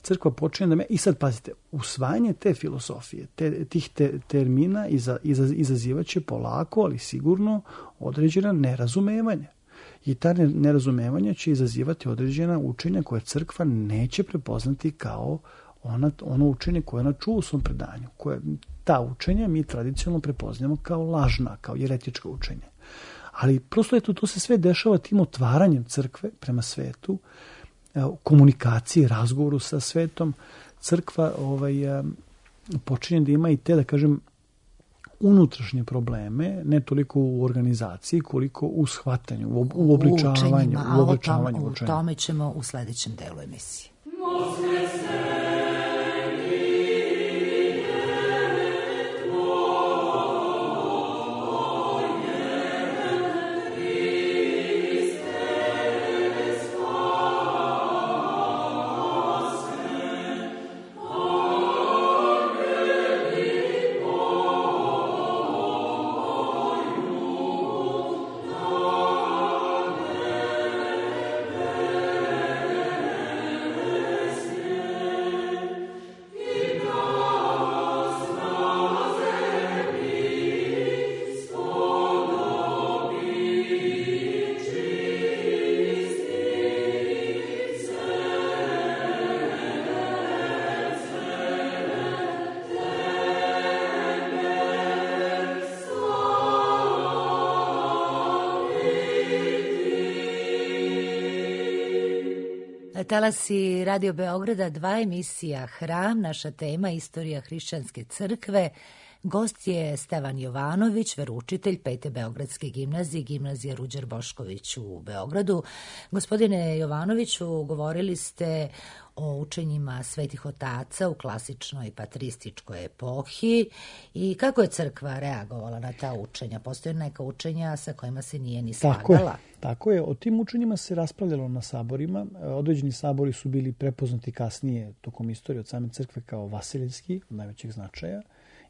crkva počinje da i sad pazite, usvajanje te filosofije, tih termina izazivaće polako, ali sigurno određena nerazumevanja. I ta nerazumevanja će izazivati određena učenja koje crkva neće prepoznati kao ono učenje koje ona čuva u svom predanju. Ta učenja mi tradicionalno prepoznajemo kao lažna, kao jeretička učenja. Ali prosto to se sve dešava tim otvaranjem crkve prema svetu, komunikaciji, razgovoru sa svetom. Crkva počinje da ima i te, da kažem, unutrašnje probleme, ne toliko u organizaciji, koliko u shvatanju, u obličavanju. O tome ćemo u sljedećem delu emisije. Talasi Radio Beograda, 2 emisija Hram, naša tema istorija hrišćanske crkve. Gost je Stevan Jovanović, veroučitelj Pete Beogradske gimnazije, gimnazije Ruđer Bošković u Beogradu. Gospodine Jovanoviću, govorili ste o učenjima svetih otaca u klasičnoj patrističkoj epohi i kako je crkva reagovala na ta učenja? Postoje neka učenja sa kojima se nije ni slagala? Tako je. O tim učenjima se raspravljalo na saborima. Određeni sabori su bili prepoznati kasnije tokom istorije od same crkve kao vaseljski, od najvećeg značaja.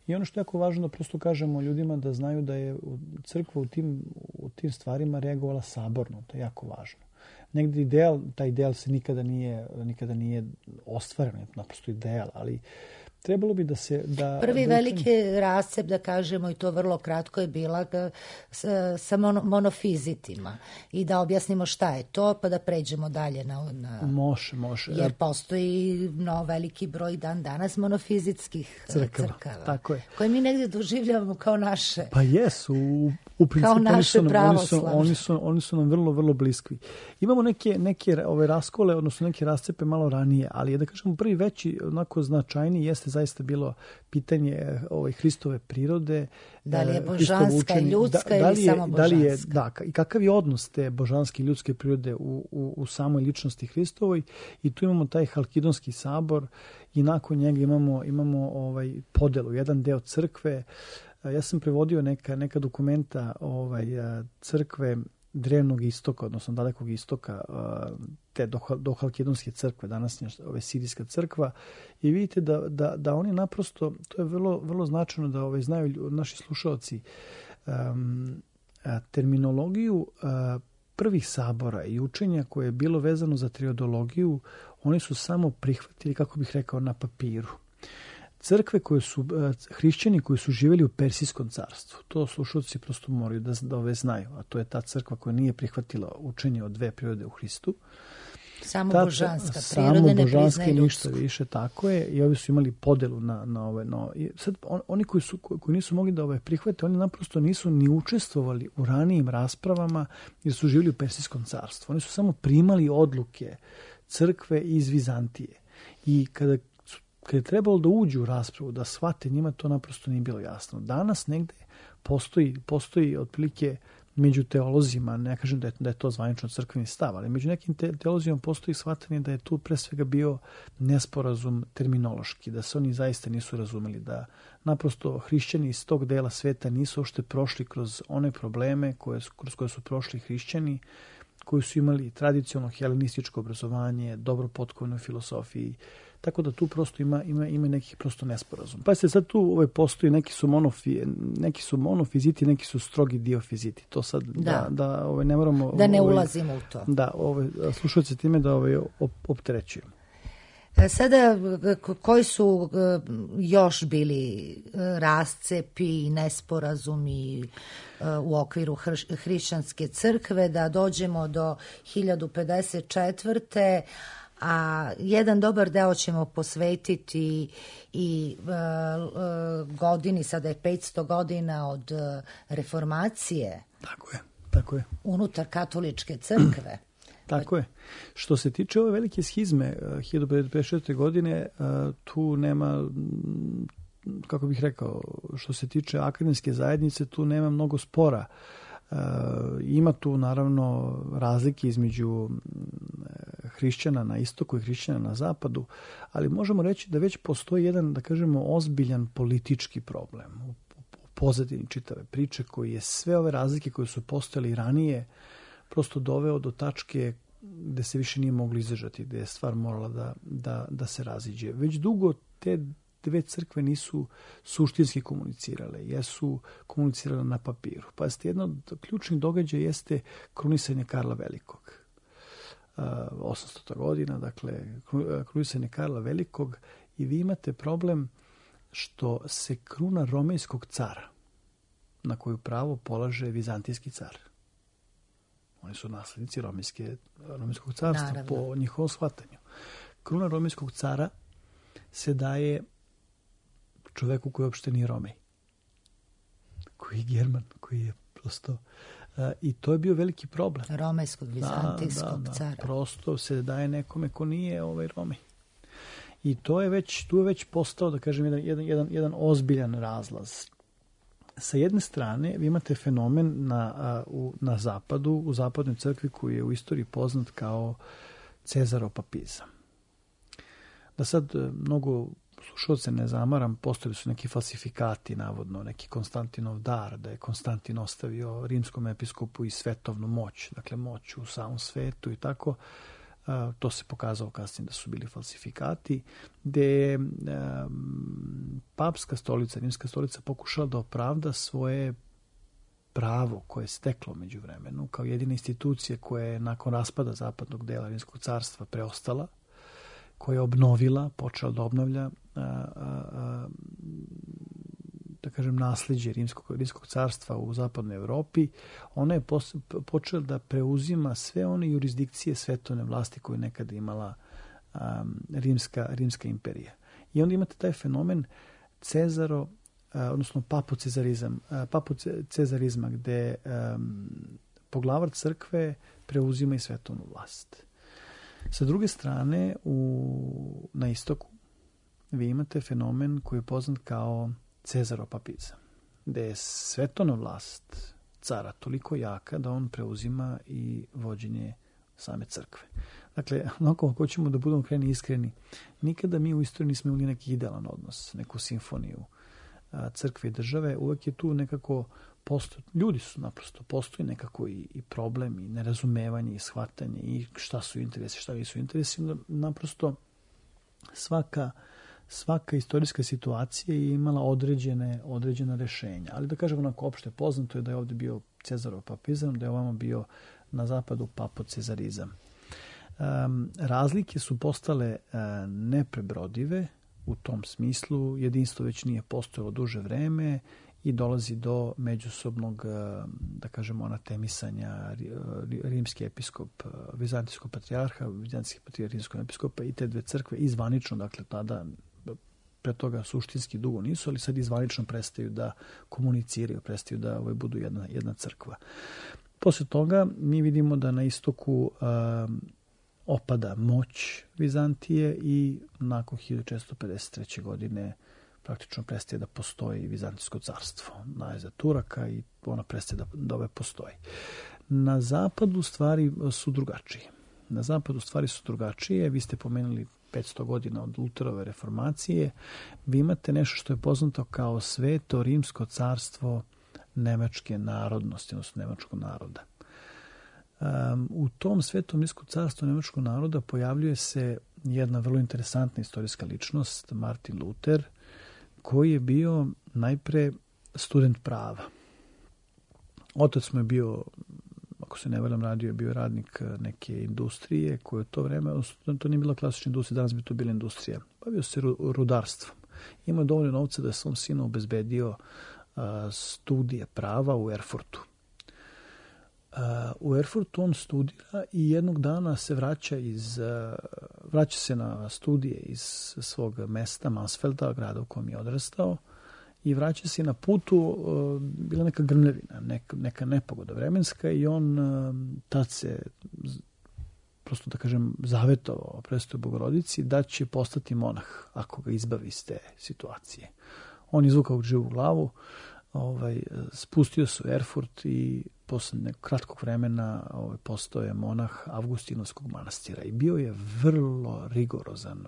I ono što je jako važno da prosto kažemo ljudima da znaju da je crkva u tim stvarima reagovala saborno. To je jako važno. Negdje taj ideal se nikada nije ostvaren, naprosto ideal, ali trebalo bi da se... Prvi veliki rascep, da kažemo, i to vrlo kratko je bila sa monofizitima. I da objasnimo šta je to, pa da pređemo dalje na... Može. Jer postoji veliki broj danas monofizitskih crkava. Tako je. Koje mi negdje doživljavamo kao naše. Pa jesu, u principu oni su nam vrlo, vrlo bliski. Imamo neke raskole, odnosno neke rascepe malo ranije, ali da kažemo prvi veći, onako značajniji jeste zaista bilo pitanje Hristove prirode. Da li je božanska i ljudska ili samo božanska? I kakav je odnos te božanske i ljudske prirode u samoj ličnosti Hristovoj. I tu imamo taj Halkidonski sabor i nakon njega imamo podelu. Jedan deo crkve. Ja sam prevodio neka dokumenta crkve drevnog istoka, odnosno dalekog istoka, te do Halkidonske crkve, današnja sirijska crkva, i vidite da oni naprosto, to je vrlo, vrlo značajno da znaju naši slušalci, terminologiju prvih sabora i učenja koje je bilo vezano za triodologiju, oni su samo prihvatili, kako bih rekao, na papiru. Crkve hrišćani koji su živjeli u Persijskom carstvu, to slušalci prosto moraju da znaju, a to je ta crkva koja nije prihvatila učenje o dve prirode u Hristu. Samo božanska priroda, ne priznaje ništa više, tako je, i ovi su imali podelu na ove. Sad, oni koji nisu mogli da prihvate, oni naprosto nisu ni učestvovali u ranijim raspravama jer su živjeli u Persijskom carstvu. Oni su samo primali odluke crkve iz Vizantije. I kada je trebalo da uđu u raspravu, da shvate, njima to naprosto nije bilo jasno. Danas negde postoji otprilike među teolozima, ne kažem da je to zvanično crkveni stav, ali među nekim teolozima postoji shvatanje da je tu pre svega bio nesporazum terminološki, da se oni zaista nisu razumeli, da naprosto hrišćani iz tog dela sveta nisu uopšte prošli kroz one probleme kroz koje su prošli hrišćani, koji su imali tradicionalno helenističko obrazovanje, dobro potkovno filosofiji, tako da tu prosto ima nekih prosto nesporazum. Pa se sad tu postoji, neki su monofiziti, neki su strogi diofiziti. To sad ne moramo... Da ne ulazimo u to. Da, slušajte time da opterećujemo. Sada, koji su još bili rascepi i nesporazumi u okviru hrišćanske crkve, da dođemo do 1054. A jedan dobar deo ćemo posvetiti i godini, sada je 500 godina od reformacije. Tako je. Unutar katoličke crkve. Tako je. Što se tiče ove velike schizme 1554. godine, tu nema, kako bih rekao, što se tiče akademske zajednice, tu nema mnogo spora. Ima tu naravno razlike između hrišćana na istoku i hrišćana na zapadu, ali možemo reći da već postoji jedan, da kažemo, ozbiljan politički problem u pozadini čitave priče, koji je sve ove razlike koje su postojale ranije prosto doveo do tačke gde se više nije moglo izdržati, gde je stvar morala da se raziđe. Već dugo te dve crkve nisu suštinski komunicirale, jesu komunicirale na papiru. Pazite, jedno od ključnih događaja jeste krunisanje Karla Velikog. 800. godina, dakle, krunisanje Karla Velikog, i vi imate problem što se kruna romejskog cara, na koju pravo polaže vizantijski car. Oni su naslednici romejskog carstva, naravno, po njihovom shvatanju. Kruna romejskog cara se daje čoveku koji uopšte nije Romej, koji je German, koji je prosto... I to je bio veliki problem. Romejskog, vizantijskog cara. Prosto se daje nekome ko nije Romej. I tu je već postao, da kažem, jedan ozbiljan razlaz. Sa jedne strane, vi imate fenomen na zapadu, u zapadnoj crkvi koji je u istoriji poznat kao Cezarov papizam. Da sad mnogo slušalce ne zamaram, postojali su neki falsifikati, navodno, neki Konstantinov dar, da je Konstantin ostavio rimskom episkopu i svetovnu moć, dakle moć u samom svetu i tako. To se pokazalo kasnije da su bili falsifikati, gde je papska stolica, rimska stolica pokušala da opravda svoje pravo koje je steklo među vremenu, kao jedina institucija koja je nakon raspada zapadnog dela Rimskog carstva preostala, koja je obnovila, počela da obnavlja da kažem nasljeđe Rimskog carstva u zapadnoj Evropi. Ona je počela da preuzima sve one jurisdikcije svetovne vlasti koje je nekada imala rimska imperija. I onda imate taj fenomen odnosno papocezarizma, gde poglavar crkve preuzima i svetovnu vlast. Sa druge strane, na istoku vi imate fenomen koji je poznat kao Cezarov papizam, gde je svetovna vlast cara toliko jaka da on preuzima i vođenje same crkve. Dakle, ako hoćemo da budemo krajnje iskreni, nikada mi u istoriji nismo imali neki idealan odnos, neku simfoniju crkve i države. Uvek je tu nekako ljudi su naprosto, postoji nekako i problem i nerazumevanje i shvatanje i šta su interesi, šta nisu interesi. Naprosto svaka istorijska situacija je imala određena rešenja. Ali da kažem onako opšte poznato je da je ovdje bio Cezarov papizam, da je ovamo bio na zapadu papocezarizam. Razlike su postale neprebrodive u tom smislu. Jedinstvo već nije postojalo duže vreme i dolazi do međusobnog, da kažemo, anatemisanja rimski episkop, vizantijskog patrijarha, vizantijski patrijarh rimskog episkopa i te dve crkve izvanično, dakle tada pre toga suštinski dugo nisu, ali sad izvanično prestaju da komuniciraju, prestaju da budu jedna crkva. Posle toga mi vidimo da na istoku opada moć Vizantije i nakon 1453. godine praktično prestaje da postoji Vizantijsko carstvo. Najezad Turaka i ona prestaje da postoji. Na zapadu stvari su drugačije. Vi ste pomenuli 500 godina od Luterove reformacije. Vi imate nešto što je poznato kao Sveto rimsko carstvo nemačke narodnosti, odnosno nemačkog naroda. U tom Svetom rimskom carstvu nemačkog naroda pojavljuje se jedna vrlo interesantna istorijska ličnost, Martin Luther, koji je bio najpre student prava. Otac mu je bio, ako se ne varam, je bio radnik neke industrije koje u to vreme, to nije bila klasična industrija, danas bi to bila industrija. Bavio se rudarstvom. Imao je dovoljno novca da je svom sinu obezbedio studije prava u Erfurtu. U Erfurtu on studira i jednog dana se vraća se na studije iz svog mesta, Mansfelda, grada u kojem je odrastao, i vraća se na putu, bila neka grmljavina, neka nepogoda vremenska, i on tad se, prosto da kažem, zavetovao Presvetoj Bogorodici da će postati monah ako ga izbavi iz te situacije. On izvukao živu glavu, spustio se u Erfurt i posle nekog kratkog vremena postao je monah Avgustinovskog manastira i bio je vrlo rigorozan.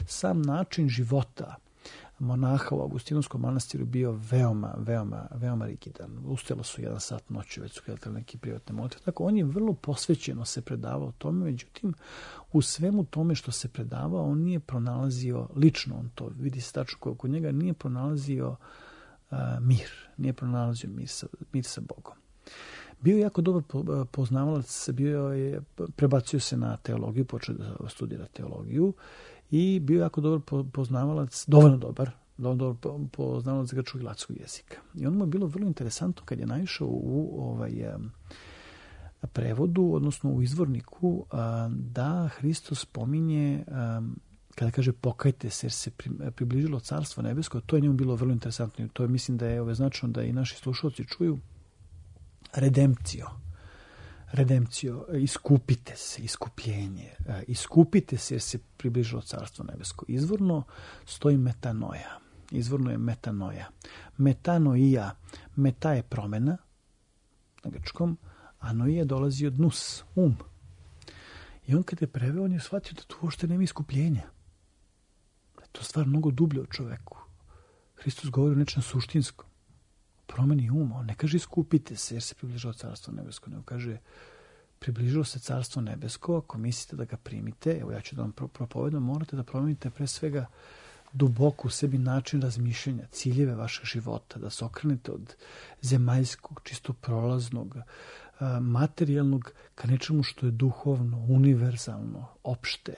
Sam način života monaha u Avgustinovskom manastiru bio veoma rigidan. Ustajalo su 1 sat noću, već su gledali neki privatne molitve. Tako, on je vrlo posvećeno se predavao tome, međutim, u svemu tome što se predavao, on nije pronalazio, lično on to vidi se tačno kod njega, nije pronalazio nije pronalazio mir sa Bogom. Bio je jako dobar poznavalac, prebacio se na teologiju, počeo da studira teologiju i bio je jako dobar poznavalac, dovoljno dobar poznavalac grčkog i latinskog jezika. I ono mu je bilo vrlo interesantno kad je naišao u prevodu, odnosno u izvorniku, da Hristos spominje, kada kaže pokajte se jer se približilo carstvo nebesko, to je njemu bilo vrlo interesantno. To je, mislim da je značajno da i naši slušalci čuju. Redemptio. redempcio, iskupite se, iskupljenje, iskupite se jer se približilo Carstvo nebesko. Izvorno stoji metanoja. Izvorno je metanoja. Metanoia. Meta je promjena na grčkom, a noija dolazi od nus, I on kad je preveo, on je shvatio da tu uopšte nema iskupljenja. Da je to stvar mnogo dublje od čoveku. Hristos govori o nečem suštinskom. Promeni uma. On ne kaže iskupite se jer se približilo Carstvo nebesko, nego kaže približilo se Carstvo nebesko, ako mislite da ga primite, evo ja ću da vam propovedam, morate da promenite pre svega duboko u sebi način razmišljanja, ciljeve vašeg života, da se okrenete od zemaljskog, čisto prolaznog, materijalnog ka nečemu što je duhovno, univerzalno, opšte,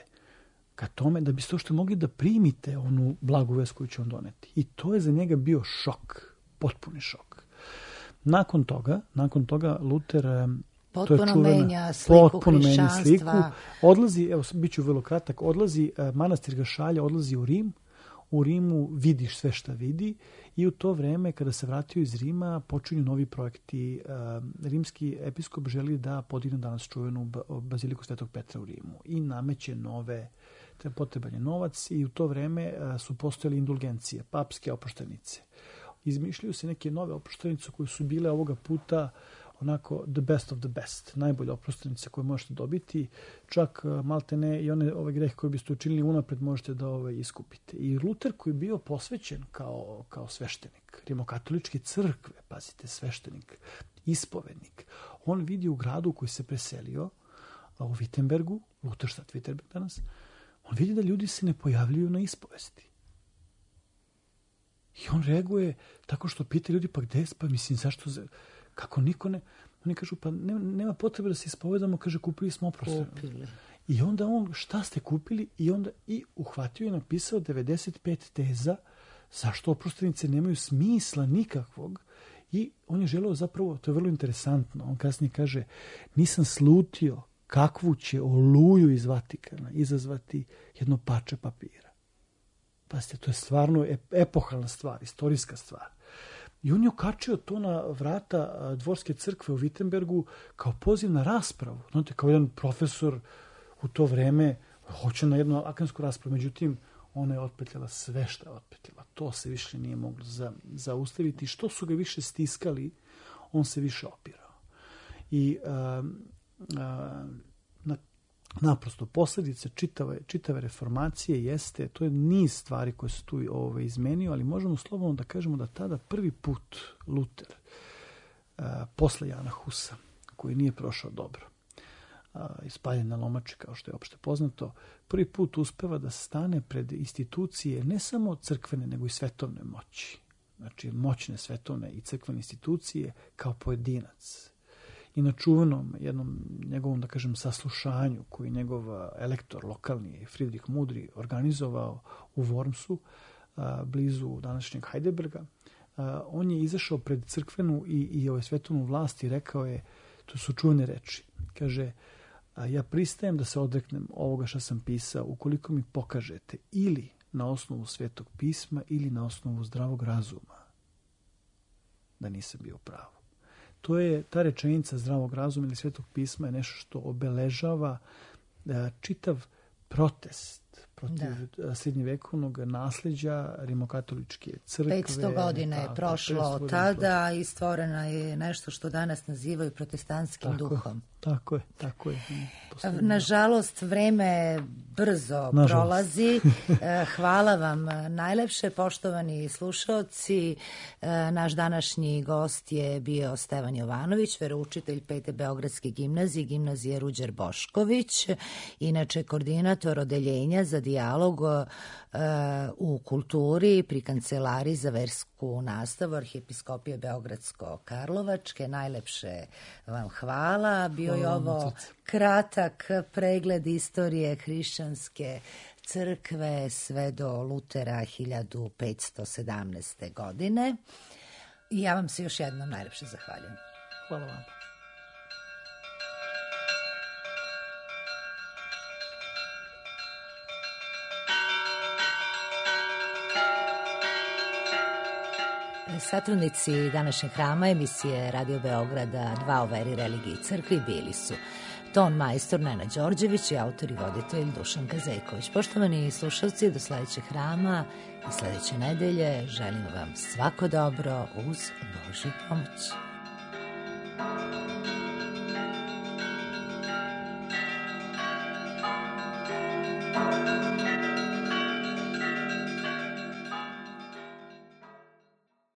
ka tome da biste uopšte mogli da primite onu blagu vest koju će on doneti. I to je za njega bio šok, potpuni šok. Nakon toga Luter potpuno menja sliku hrišćanstva. Odlazi, evo, bit ću vrlo kratak, odlazi, manastir ga šalje, odlazi u Rim. U Rimu vidiš sve šta vidi i u to vreme kada se vratio iz Rima počinju novi projekti. Rimski episkop želi da podigne danas čuvenu baziliku Svetog Petra u Rimu i nameće nove, potreban je novac i u to vreme su postojale indulgencije, papske oproštenice. Izmišljaju se neke nove oproštenice koje su bile ovoga puta onako the best of the best, najbolje oproštenice koje možete dobiti, čak maltene i ove grehe koje biste učinili unapred možete da iskupite. I Luter koji je bio posvećen kao sveštenik, rimokatoličke crkve, pazite, sveštenik, ispovednik, on vidi u gradu u koji se preselio, u Wittenbergu, Lutherstadt Wittenberg danas, on vidi da ljudi se ne pojavljuju na ispovesti. I on reaguje tako što pita ljudi, pa gde je, pa mislim, zašto, kako niko ne, oni kažu, pa nema potrebe da se ispovedamo, kaže, kupili smo oproštenu. I onda on, šta ste kupili? I uhvatio i napisao 95 teza zašto oproštenice nemaju smisla nikakvog. I on je želeo zapravo, to je vrlo interesantno, on kasnije kaže, nisam slutio kakvu će oluju iz Vatikana izazvati jedno parče papira. Pazite, to je stvarno epohalna stvar, istorijska stvar. I on je okačio to na vrata dvorske crkve u Wittenbergu kao poziv na raspravu. Znate, kao jedan profesor u to vreme hoće na jednu akademsku raspravu, međutim, ona je otpetljala sve što je otpetljala. To se više nije moglo zaustaviti. Što su ga više stiskali, on se više opirao. I naprosto posljedice čitave reformacije jeste, to je niz stvari koje su tu izmenio, ali možemo slobodno da kažemo da tada prvi put Luter, posle Jana Husa, koji nije prošao dobro, ispaljen na lomači, kao što je opšte poznato, prvi put uspeva da stane pred institucije ne samo crkvene, nego i svetovne moći. Znači, moćne svetovne i crkvene institucije kao pojedinac. I na čuvenom jednom njegovom, da kažem, saslušanju koji njegov elektor lokalni Friedrich Mudri organizovao u Wormsu, blizu današnjeg Heidelberga, on je izašao pred crkvenu i svetovnu vlast i rekao je, to su čuvene reči, kaže, ja pristajem da se odreknem ovoga što sam pisao ukoliko mi pokažete ili na osnovu Svetog pisma ili na osnovu zdravog razuma da nisam bio pravo. To je ta rečenica zdravog razuma ili Svetog pisma je nešto što obeležava čitav protest protiv srednjevekovnog nasleđa rimokatoličke crkve. 500 godina je prošlo od tada i stvorena je nešto što danas nazivaju protestantskim duhom. Tako je. Nažalost, vreme brzo prolazi. Hvala vam najlepše, poštovani slušaoci. Naš današnji gost je bio Stevan Jovanović, veroučitelj 5. Beogradske gimnazije, gimnazije Ruđer Bošković, inače koordinator odeljenja za dijalog u kulturi pri Kancelariji za versku nastavu Arhiepiskopije Beogradsko-Karlovačke. Najlepše vam hvala. Bio je ovo kratak pregled istorije hrišćanske crkve sve do Lutera 1517. godine. I ja vam se još jednom najlepše zahvaljujem. Hvala vam. Satrudnici današnjeg hrama emisije Radio Beograda 2 o veri, religiji i crkvi bili su ton majstor Nena Đorđević i autor i voditelj Dušan Kazejković. Poštovani slušalci, do sledećeg hrama i sledeće nedelje želim vam svako dobro uz Božju pomoć.